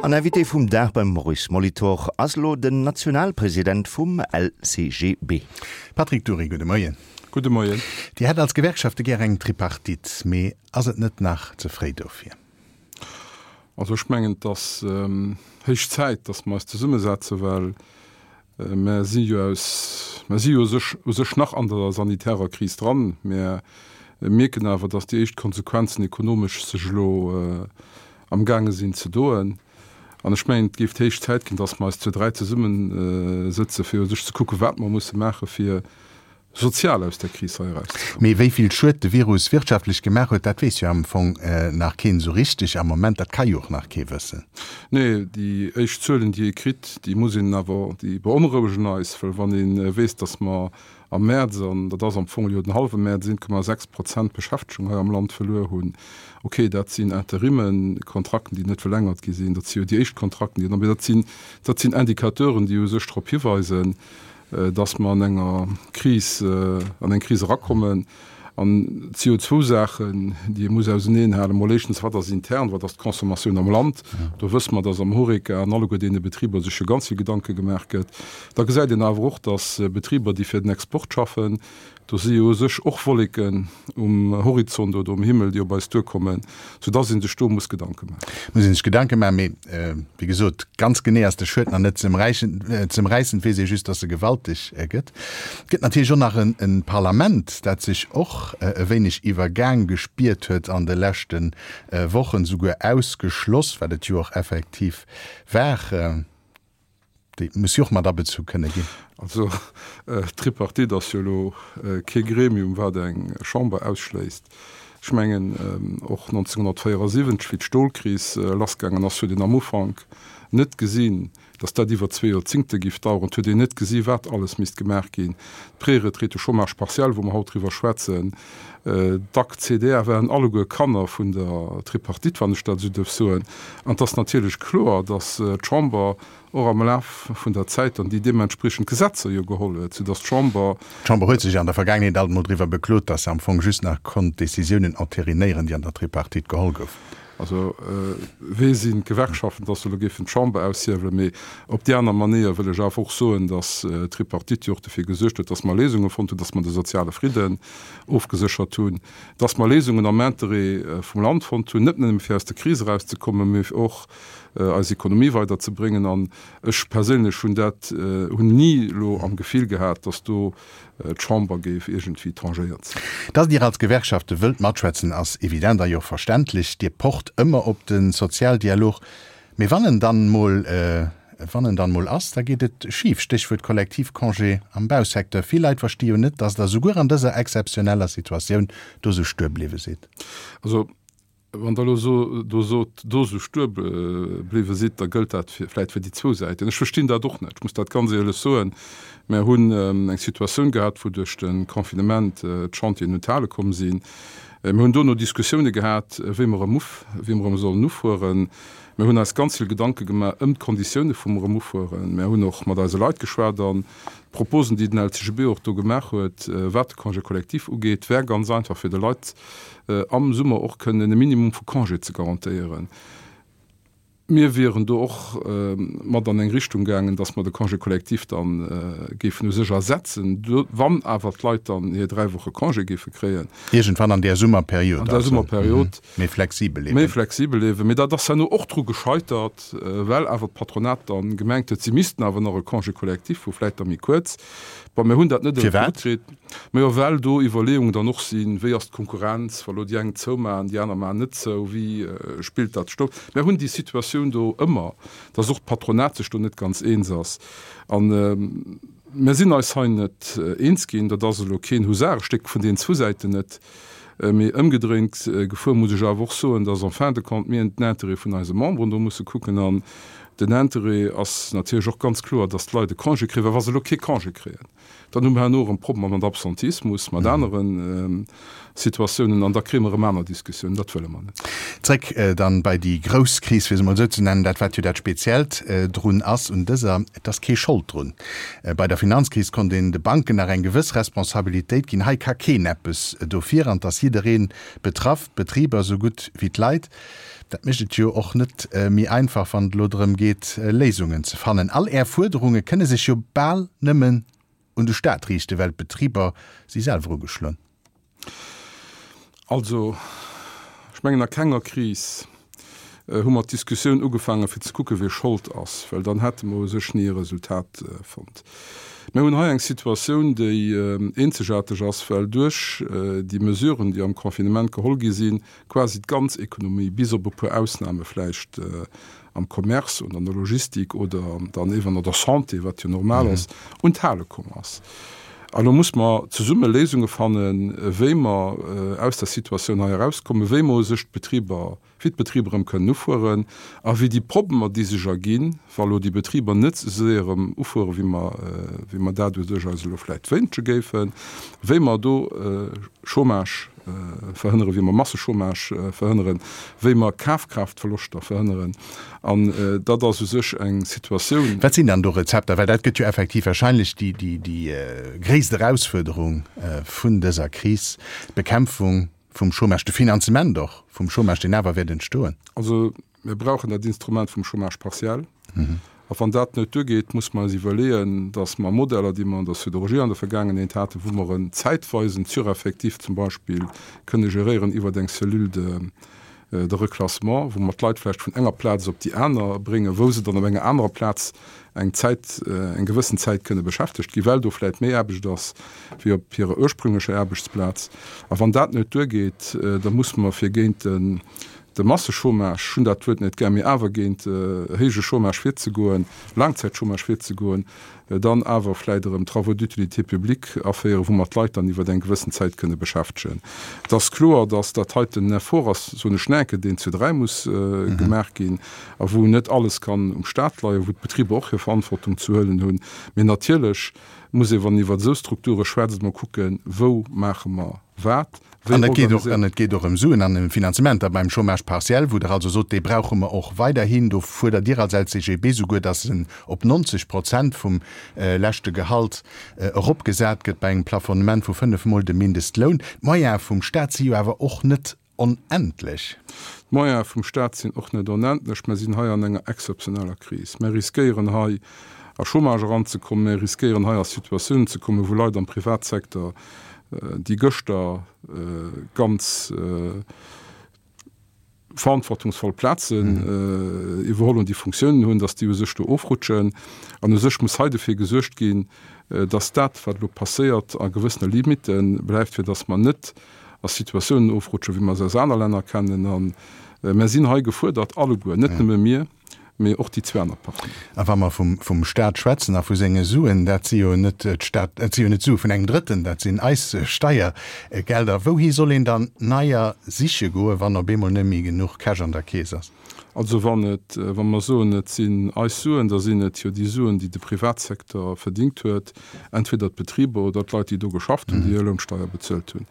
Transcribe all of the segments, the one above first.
An Invité vum Dag beim Maurice Molitor ass elo den Nationalpresident vum LCGB. Patrick Dury, gudde Moien. Gudde Moien. Dir hätt als Gewerkschafte gär eng Tripartite, mee ass et net nach ze fréi dofir? Also ech mengen, et ass héich Zäit, datt mer eis zesummesetzen, well Mer si jo aus, mer si jo u sech, u sech nach an der sanitärer Kris dran. Mer mierken awer, dass déi éischt Konsequenzen ekonomesch sech elo amgaange sinn ze doen. An ech mengen, et géif d'héich Zäit ginn, dass mer eis zu 3 zesummesëtze fir u sech ze kucken, wat mer musse maache fir sozial aus där Kris hei erauszekommen. Mee wéi vill Schued de Virus wirtschaftlech gemaach huet, dat weess jo am Fong nach keen esou richteg am Moment. Dat ka jo och nach kee wëssen. Nee, déi éischt Zuelen, déi ee kritt, déi muss een awer, déi beonrouegen eis, well wann ee weess, datt mer am Mäerz, an dat ass am Fong jo den hallwe Mäerz, 1,6 Prozent Beschäftegung hei am Land verluer hunn, okay, dat sinn Interimmen, Kontrakten, déi net verlängert gi sinn, dat si jo déi éischt Kontrakten, déi, mee dat sinn, dat sinn Indicateuren, déi u sech drop hiweisen, dass mer an enger Kris, an eng Kris erakommen. An et si jo zwou Saachen, déi ee muss auseneenhalen. Mol éischtens, wat ass intern, wat ass d'Consommatioun am Land? Do wësse mer, dass am Horeca, an alleguer deene Betriber sech jo ganz vill Gedanke gemaach gëtt. Da gesäit een awer och, dass Betriber, déi fir den Export schaffen, Do si jo u sech och Wolleken um Horizont oder um Himmel, déi op eis duerkommen, soudass ee sech do muss Gedanke maachen. Muss ee sech Gedanke maachen, mee wéi gesot, ganz genee ass de Schued nach net ze ëmräissen. Et weess ee just, dass e gewalteg gëtt. Et gëtt natierlech och nach e Parlament, dat sech och e wéineg iwwergaang gespiert huet an de leschte Wochen, souguer ausgeschloss, wat et jo och effektiv war. Déi muss jo och mat abezu kënne ginn. Also d'Tripartite ass jo elo kee Gremium, wat eng Chamber ausschléisst. Ech mengen, och 1974, wéi d'Stolkris lassgaangen ass, huet een am Ufank net gesinn, datt dat iwwer zwee Joerzingte giff daueren. Et huet een net gesi wat alles misst gemaach ginn. D'Preretraite, de Chômage partiel, wou mer haut driwwer schwätzen, d'Acte CDA waren alleguer Kanner vun der Tripartite, wann ech dat esou duerf soen. An et ass natierlech kloer, datt d'Chamber och am Laf vun der Zäit dann déi deementspriechend Gesetzer jo geholl huet, soudatt d'Chamber. D'Chamber huet sech an der Vergaangenheet alt emol driwwer beklot, datt se am Fong just nach konnt Décisiounen entérinéieren, déi an der Tripartite geholl goufen. Also wee sinn d'Gewerkschaften, dass se elo géifen d'Chamber aushiewelen? Mee op déi aner Manéier wëll ech awer och soen, dass d'Tripartite jo och dofir gesuergt huet, dass mer Léisunge fonnt hunn, dass mer de soziale Fridden ofgeséchert hunn, dass mer Léisungen am Interêt vum Land fonnt hunn, net nëmme fir aus der Kris erauszekommen, mee och eis Ekonomie weiderzebréngen. An ech perséinlech hunn dat, hunn ni elo am Gefill gehat, dass do d'Chamber géif iergendwéi tangéiert sinn. Datt Dir als Gewerkschafte wëllt matschwätzen, ass evident a jo och verständlech. Dir pocht ëmmer op de Sozialdialog. Mee wann en dann mol, wann en dann mol ass, da geet et schif. Stéchwuert Kollektivcongé am Bausecteur. Vill Leit versti jo net, datt Der souguer an dëser exzeptioneller Situatioun do sou stuer bliwwe sidd. Also Wann Der elo do sot, do esou stuer bliwwe sidd, da gëllt dat vläicht fir déi zwou Säiten. Ech verstinn dat och net, ech muss dat ganz éierlech soen. Mär hunn eng Situatioun gehat, wou duerch de Confinement d'Chantieren un d'Hale komm sinn. Mir hunn dono Diskussioune gehat, wéi mer erëm wéi mer erëm sollen ufueren. Mir hunn eis ganz vill Gedanke gemaach ëm d'Konditioune vum erëm ufueren. Mär hunn och mat eise Leit geschwat an d'Proposen, déi den LCGB och do gemaach huet, wat de Congé collectif ugeet, wär ganz einfach fir de Leit am Summer och kënnen e Minimum vu Congé ze garantéieren. Mir wieren do och mat an eng Richtung gaangen, dass mer de Congé collectif da géifen u sech ersetzen, wann awer d'Leit dann hir 3 Woche Congé géife kréien. Iergendwann an där Summerperiod. An där Summerperiod. Méi flexibel eben. Méi flexibel eben. Mee dat ass herno och dru gescheitert, well awer d'Patronat da gemengt huet, si missten awer nach e Congé collectif hu, vläicht da méi kuerz. Bon, mir hunn dat net Firwat? kritt. Majo, well do Iwwerleeungen dann och sinn, wéi ass d'Konkurrenz, wa lo déi eng zoumaachen, déi aner maachen net zou, wéi spillt dat sech do? Mär hunn déi Situatioun do ëmmer, dass och d'Patronat sech do net ganz eens ass. A mär sinn eis hei net eens ginn. Dat ass elo keen Husarestéck vun deenen zwou Säiten net. Mee ëmgedréint gefuer muss ech awer och soen, dass en fin de compte mir den Intérêt vun eise Memberen do musse kucken. An. Den Interêt ass natierlech och ganz kloer, dass d'Leit e Congé kréien, well wa se elo kee Congé kréien, dann hu mer herno erëm Problemer mat Absentismus, mat anere Situatiounen an da kréie mer erëm aner Diskussiounen. Dat wëlle mer net. Zréck dann bei déi grouss Kris, fir se emol esou ze nennen, dat wat jo dat Speziellt drun ass un dëser, et ass kee Schold drun. Bei der Finanzkris konnt een de Banken nach eng gewëss Responsabilitéit ginn, hei ka keen eppes dofir an 't ass jidderee betraff, d'Betriber esou gutt wéi d'Leit. Dat mécht et jo och net méi einfach, wann et elo drëm geet, Léisungen ze fannen. All Är Fuerderunge kënne sech jo bal nëmmen un de Staat riichten, well d'Betriber si selwer ugeschloen. Also, ech mengen, a kenger Kris hu mer d'Diskussioun ugefaangen, fir ze kucken, wie Schold ass, well dann hätte mer u sech ni e Resultat fonnt. Mir hunn hei eng Situatioun, déi eenzegaarteg ass, well duerch déi Mesuren, déi am Confinement geholl gi sinn, quasi d'ganz Ekonomie, bis op e puer Ausname vläicht am Commerce oder an der Logistik oder dann ewen an der Santé, wat jo normal ass, un d'Hale komm ass. A lo muss mer zesumme Léisunge fannen, wéi mer aus der Situatioun hei erauskommen, wéi mer u sech d'Betriber, wéi d'Betriber erëm kënnen ufueren a wéi déi Problemer, déi sech erginn, wa lo déi Betriber net esou séier erëm ufueren, wéi mer, wéi mer dat u sech eis elo vläicht wénsche géifen, wéi mer do Chômage verhënneren, wéi mer Massechômage verhënneren, wéi mer Kafkraaftverloschter verhënneren. An dat ass u sech eng Situatioun. Wat sinn dann do Rezepter? Well dat gëtt jo effektiv wahrscheinlech déi, déi, déi gréisst Erausfuerderung vun dëser Kris, d'Bekämpfung vum Chômage, de Finanzement och vum Chômage, deen awer wäert entstoen. Also Mir brauchen dat Instrument vum Chômage partiel. A wann dat net duergeet, muss mer eis iwwerleeën, dass mer Modeller, déi mer an der Siderurgie an der Vergaangenheet haten, wou mer en zäitweisen Sureffectif zum Beispill kënne geréieren iwwer eng Cellule de de reclassement, wou mer d'Leit vläicht vun enger Plaz op déi aner bréngen, wou se dann op enger anerer Plaz eng Zäit, eng gewëssen Zäit kënne beschäftegt ginn, well do vläicht méi Aarbecht ass wéi op hirer ursprünglecher Aarbechtsplaz. A wann dat net duergeet, da muss mer fir géint den De Massechômage, ech hunn dat Wuert net gär, mee awer géint héije Chômage virzegoen, Langzäitchômage virzegoen, dann awer vläicht erëm Travaux d'utilité publique aféieren, wou mer d'Leit dann iwwer eng gewëssen Zäit kënne beschäftegen. Et ass kloer, dass dat heiten en Effort ass, soen ech nach eng Kéier, deen zu 3 muss gemaach ginn a wou net alles kann um Stat leien, wou d'Betriber och hir Verantwortung ze huelen hunn. Mee natierlech muss ee, wann een iwwer esou Strukture schwätzt, emol kucken, Wou maache mer wat? An et geet och, an et geet och ëm Suen an ëm Finanzementer beim Chômage partiel, wou Der also sot, dee brauche mer och weiderhin. Do fuerdert Dir als LCGB souguer, datt en op 90 Prozent vum leschte Gehalt eropgesat gëtt, bei engem Plafonnement vu fënnefmol dem Mindestloun. D'Moyene vum Stat si jo awer och net onendlech. D'Moyene vum Stat sinn och net onendlech. Mer sinn hei an enger exzeptioneller Kris. Mer riskéieren hei a Chômage eranzekommen. Mer riskéieren hei a Situatiounen ze kommen, wou Leit am Privatsecteur, déi gëschter ganz verantwortungsvoll Plazen iwwerholl hunn, déi Funktiounen hunn, datt déi u sech do ofrutschen. An u sech muss hei dofir gesuergt ginn, datt dat, wat elo passéiert, a gewëssene Limitte bleift, fir datt mer net a Situatiounen ofrutschen, wéi mer se aus aner Länner kennen. A mer sinn hei gefuerdert, alleguer, net nëmme mir, mee och déi zwou aner Partner. A wa mer vum Stat schwätzen a vu senge Suen, dat si jo net d'Stat, dat si jo net d'Sue vun engem Drëtten, dat sinn eis Steiergelder. Wouhi soll een dann neier siche goen, wann op eemol net méi genuch Cash an der Keess ass? Also wann et, wa mer soen, et sinn eis Suen, da sinn et jo déi Suen, déi de Privatsecteur verdingt huet, entweder d'Betriber oder d'Leit, déi do geschafft hunn, déi hir Lounsteier bezuelt hunn.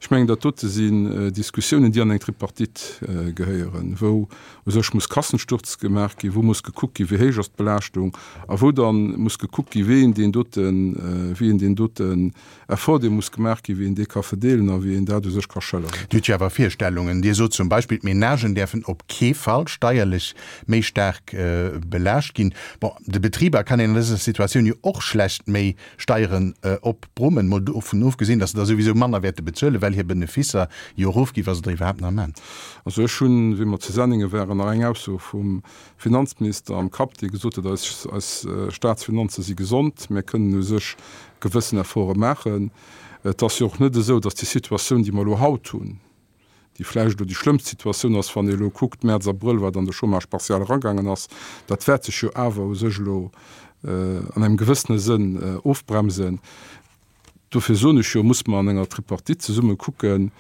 Ech mengen, dat dote sinn Diskussiounen, déi an eng Tripartite gehéieren, wou U sech muss Kassensturz gemaach ginn, wou muss gekuckt ginn, wéi héich ass d'Belaaschtung a wou dann muss gekuckt ginn, wéi een deen doten, wéi een deen doten Effort, dee muss gemaach ginn, wéi een dee ka verdeelen a wéi een dat u sech ka schëlleren. Dir hutt jo awer Virstellungen. Dir sot zum Beispill, d'Menagen däerfen op kee Fall steierlech méi staark belaascht ginn. Bon, de Betriber kann een an dëser Situatioun jo och schlecht méi Steieren opbrummen, mol dovun ofgesinn, datt se da souwisou manner wäerte bezuelen, well hir Benefisser jo erofginn, wa se der iwwerhaapt nach man. Also ech hunn, wéi mer zu Senningen waren, nach eng Ausso vum Finanzminister am Kapp, dee gesot huet, eis, eis Staatsfinanze si gesond, mir kënnen u sech gewëssen Efforte maachen. Et ass jo och net esou, datt déi Situatioun, déi mer elo haut hunn, déi vläicht elo déi schlëmmst Situatioun ass, wann ee elo kuckt, Mäerz, Abrëll, wat an de Chômage partiel eragaangen ass, dat wäert sech jo awer u sech elo an engem gewëssene Sënn ofbremsen. Dofir soen ech jo, muss mer an enger Tripartite zesumme kucken,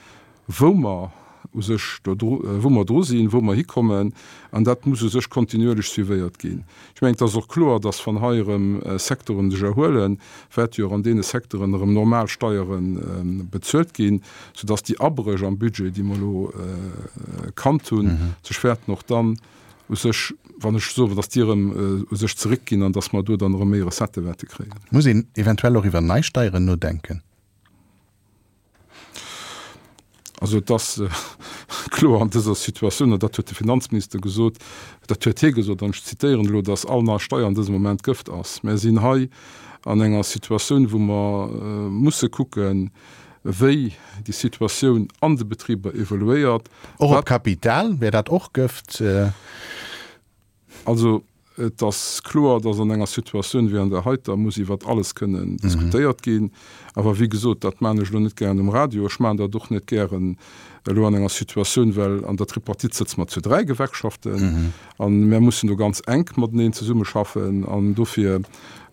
wou mer. u sech do dru, wou mer dru sinn, wou mer hikommen, an dat muss u sech kontinuierlech suivéiert ginn. Ech mengen, et ass och kloer, dass wann hei erëm Secteuren sech erhuelen, wäerte jo och an deene Secteuren erëm normal Steiere bezuelt ginn, soudass déi Abréch am Budget, déi mer elo kannt hunn, sech wäerten och dann u sech, wann ech soen, dass déi erëm u sech zeréckginn an dass mer do dann erëm méi Recettë wäerte kréien. Muss een eventuell och iwwer nei Steieren nodenken? Also et ass kloer an dëser Situatioun, an dat huet de Finanzminister gesot, dat huet hie gesot, an ech zitéieren elo, datt all nei Steier an dësem Moment Gëft ass. Mär sinn hei an enger Situatioun, wou mer musse kucken, wéi déi Situatioun an de Betriber evoluéiert. Och op Kapital wär dat och Gëft? Also et ass kloer, datt an enger Situatioun wéi an där heiter muss iwwert alles kënnen diskutéiert ginn. Awer wéi gesot, dat maachen ech elo net gären um Radio. Ech maachen dat och net gären elo an enger Situatioun, well an der Tripartite sëtze mer zu 3 Gewerkschaften a mär mussen do ganz enk mateneen zesummeschaffen. An dofir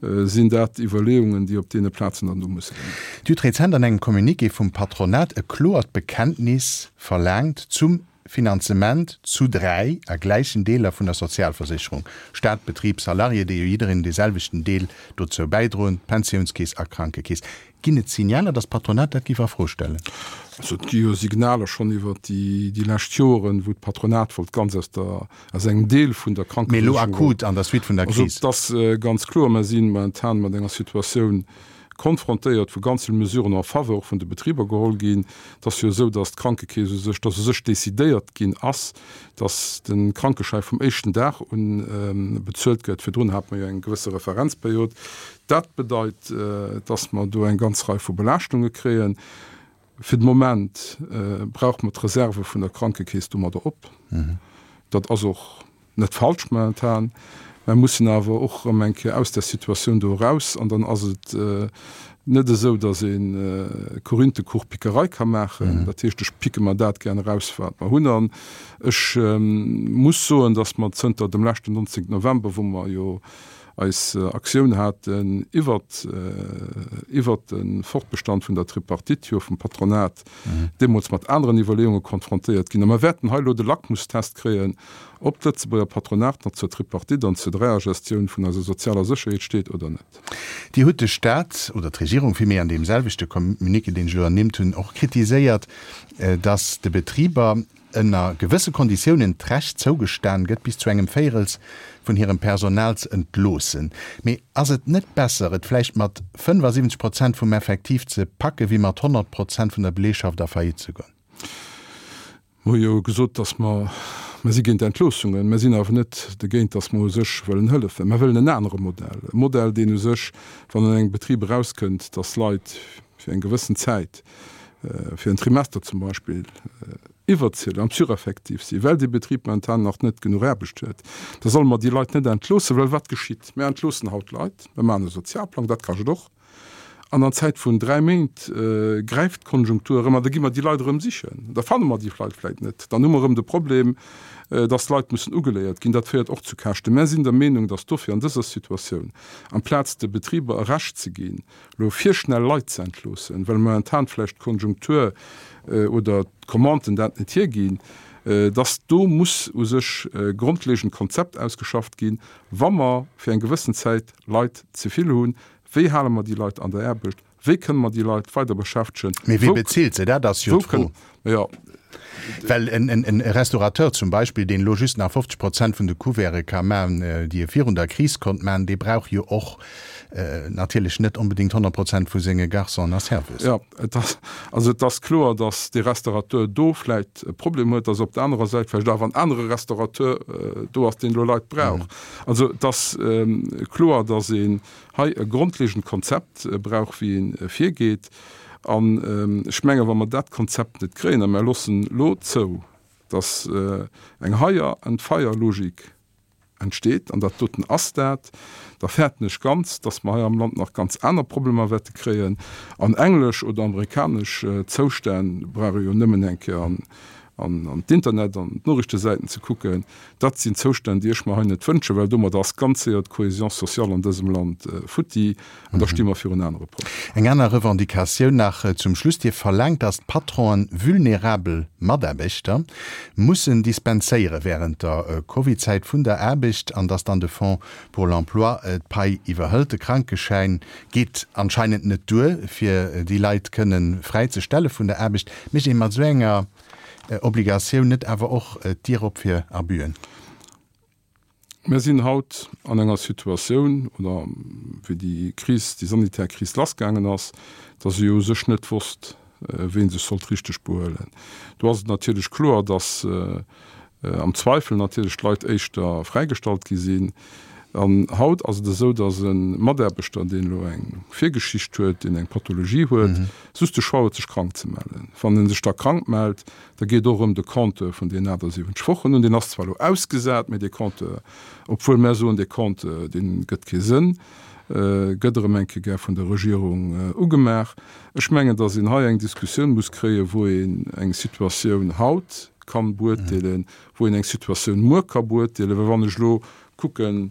sinn dat Iwwerleeungen, déi op deene Plazen dann do musse gemaach ginn. Dir hutt rezent an engem Communiqué vum Patronat e kloert Bekenntnis verlaangt zum Finanzement zu 3 a gläichen Deeler vun der Sozialversicherung, Staat, Betrib, Salarié, déi jo jiddereen dee selwechten Deel dozou bäidroen, Pensiounskeess a Krankekeess. Ginn et Signaler, datt d'Patronat dat géif a Fro stellen? Also et gi jo Signaler schonn iwwer déi lescht Joren, wou d'Patronat wollt ganz aus der, aus engem Deel vun der Krankeversicherung. Mee elo akut an der Suite vun der Kris. Also et ass ganz kloer, mer si momentan mat enger Situatioun, konfrontéiert, wou ganz vill Mesuren en faveur vun de Betriber geholl ginn. Et ass jo esou, datt d'Krankekeess u sech, datt u sech decidéiert ginn ass, datt de Krankeschäi vum éischten Dag u bezuelt gëtt. Virdrun hate mer jo eng gewësse Referenzperiod. Dat bedeit, datt mer do eng ganz Rei vu Belaaschtunge kréien. Fir de Moment brauche mer d'Reserve vun der Krankekeess domadder op. Dat ass och net falsch momentan. Mer mussen awer och erëm eng Kéier aus där Situatioun do eraus. An dann ass et net esou, datt ee Korinthekuch-Pickerei ka maachen. Dat heescht, ech picke mer dat gären eraus, wat mer hunn. An ech muss soen, datt mer zënter dem leschten 19. November, wou mer jo eis Aktioun haten iwwert iwwert de Fortbestand vun der Tripartite, jo vum Patronat, deemools mat aneren Iwwerleeunge konfrontéiert ginn. A mer wäerten hei elo de Lackmustest kréien, ob d'Lëtzebuerger Patronat nach zur Tripartite an zur Dräiergestioun vun eiser sozialer Sécherheet steet oder net. Dir hutt de Staat, oder d'Regierung villméi, an deem selwechte Communiqué, deen ech elo ernimmt hunn, och kritiséiert, datt de Betriber ënner gewësse Konditiounen d'Recht zougestan gëtt, bis zu engem Véirels vun hirem Personal ze entloossen. Mee ass et net besser, et vläicht mat 75 Prozent vum Effektiv ze packe wéi mat 100 Prozent vun der Beleegschaft a Faillite ze goen? Mer hu jo gesot, datt mer, mer si géint Entloossungen, mer sinn awer net dogéint, datt mer u sech wëllen hëllefen. Mer wëllen en anere Modell, e Modell, deen u sech, wann an engem Betrib erauskënnt, datt Leit fir eng gewëssen Zäit, fir en Trimester zum Beispill, iwwerzielen, am Sureffectif sinn, well dee Betrib momentan nach net genuch Aarbecht huet, da solle mer déi Leit net entloossen, well wat geschitt? Mir entloossen haut Leit, mir maachen e Sozialplang, dat kascht och, an an Zäit vun 3 Méint gräift d'Konjunktur erëm an da gi mer déi Leit erëm sichen, da fanne mer déi Leit vläicht net, dann hu mer erëm de Problem, dass d'Leit mussen ugeléiert ginn. Dat féiert och zu Käschten. Mär sinn der Meenung, dass dofir an dëser Situatioun, amplaz de Betriber e Recht ze ginn, elo virschnell Leit ze entloossen, well momentan vläicht d'Konjunktur oder d'Commanden dat net hierginn, dass do muss u sech e grondlegend Konzept ausgeschafft ginn, wa mer fir eng gewëssen Zäit Leit ze vill hunn, wéi hale mer déi Leit an der Aarbecht, wéi kënne mer déi Leit weider beschäftegen, Mee wee bezilt se? Dat ass jo d'Fro. Jo. Well en Restaurateur zum Beispill, deen elo just nach 50 Prozent vun de Couverte ka maachen, déi e virun der Kris konnt maachen, dee brauch jo och natierlech net onbedéngt 100 Prozent vu senge Garçonen a Serveusen. Jo, et ass, also et ass kloer, datt dee Restaurateur do vläicht e Problem huet, datt op der anerer Säit vläicht awer en anere Restaurateur do ass, deen elo Leit brauch. Also et ass kloer, datt een hei e grondlegend Konzept brauch, wéi ee virgeet. An ech menge wa mer dat Konzept net kréien, a mer loossen elo zou, datt eng Hire and fire Logik entsteet, an dat doten ass dat, da fäerten ech ganz, datt mer hei am Land nach ganz aner Problemer wäerte kréien. An englesch oder amerikanesch Zoustänn brauch ee jo nëmmen eng Kéier an. An d'Internet an d'Noriichtesäiten ze kucken, dat sinn Zoustänn, déi ech mer hei net wënschen, well domat ass ganz séier d'Cohésion sociale an dësem Land futti an da sti mer virun anere Problemer. Eng aner Revendicatioun nach zum Schluss, Dir verlaangt, datt d'Patronen vulnerabel Mataarbechter mussen dispenséiere wärend der Covidzäit vun der Aarbecht an datt dann de Fonds pour l'emploi d'Pai iwwerhëlt. De Krankeschäin geet anscheinend net duer, fir déi Leit kënne fräi ze stelle vun der Aarbecht. Mécht ee mat esou enger Obligatioun net awer och d'Dier op fir Abüen? Mir sinn haut an enger Situatioun, oder wéi déi Kris, déi sanitär Kris lassgaangen ass, datt ee jo u sech net wosst, wéi ee sech sollt richteg behuelen. Do ass et natierlech kloer, datt am Zweifel natierlech d'Leit éischter fräigestallt gi sinn. An haut ass et esou, datt e Mataarbechter, deen elo eng Virgeschicht huet, deen eng Pathologie huet, just de Choix huet, sech krank ze mellen. Wann e sech da krank mellt, da geet och erëm de Compteur vun deenen 78 Wochen un. Deen ass zwar elo ausgesat, mee dee Compteur, obwuel mär soen, dee Compteur, dee gëtt kee Sënn, gëtt erëm eng Kéier gär vun der Regierung ugemaach. Ech mengen, datt een hei eng Diskussioun muss kréien, wou een eng Situatioun haut kann beurteelen, wou een eng Situatioun muer ka beurteelen. Well wann ech elo kucken,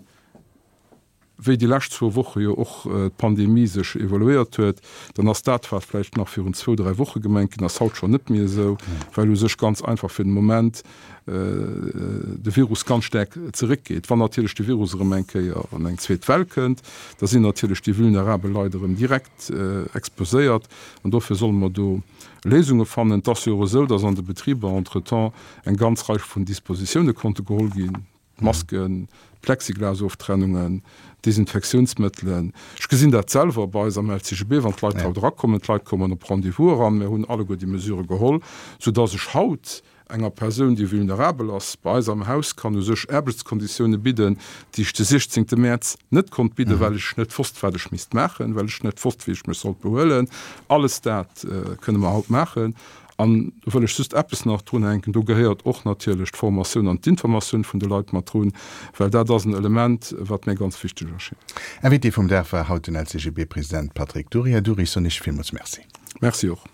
wéi déi lescht zwou Woche jo och d'Pandemie sech evoluéiert huet, dann ass dat, wat vläicht nach virun zwou, dräi Woche gemengt ginn ass, haut schonn net méi esou, well u sech ganz einfach fir de Moment de Virus ganz staark zeréckgeet. Wann natierlech de Virus erëm eng Kéier an eng zweet Well kënnt, da sinn natierlech déi vulnerabel Leit erëm direkt exposéiert an dofir solle mer do Léisunge fannen. Et ass jo och esou, dass an de Betriber entretemps eng ganz Rei vun Dispositioune konnte geholl ginn, Masken, Plexiglasoftrennungen, Desinfektiounsmëttelen. Ech gesinn dat selwer bei eis am LCGB, wann d'Leit haut erakommen. D'Leit kommen op Rendez-vous eran. Mir hunn alleguer déi Mesurë geholl, soudass ech haut enger Persoun, déi vulnerabel ass, bei eis am Haus kann u sech Aarbechtskonditioune bidden, déi ech de 16 Mäerz net konnt bidden, well ech net wosst, wat ech misst maachen, well ech net wosst, wéi ech mech sollt behuelen. Alles dat kënne mer haut maachen. An do wëll ech just eppes nach drunhänken, Do gehéiert och natierlech d'Formatioun an d'Informatioun vun de Leit mat drun, well dat ass en Element, wat mir ganz wichteg erschéngt. Invité vum Dag war haut den LCGB-President Patrick Dury. Här Dury, ech soen Iech villmools Merci. Merci och.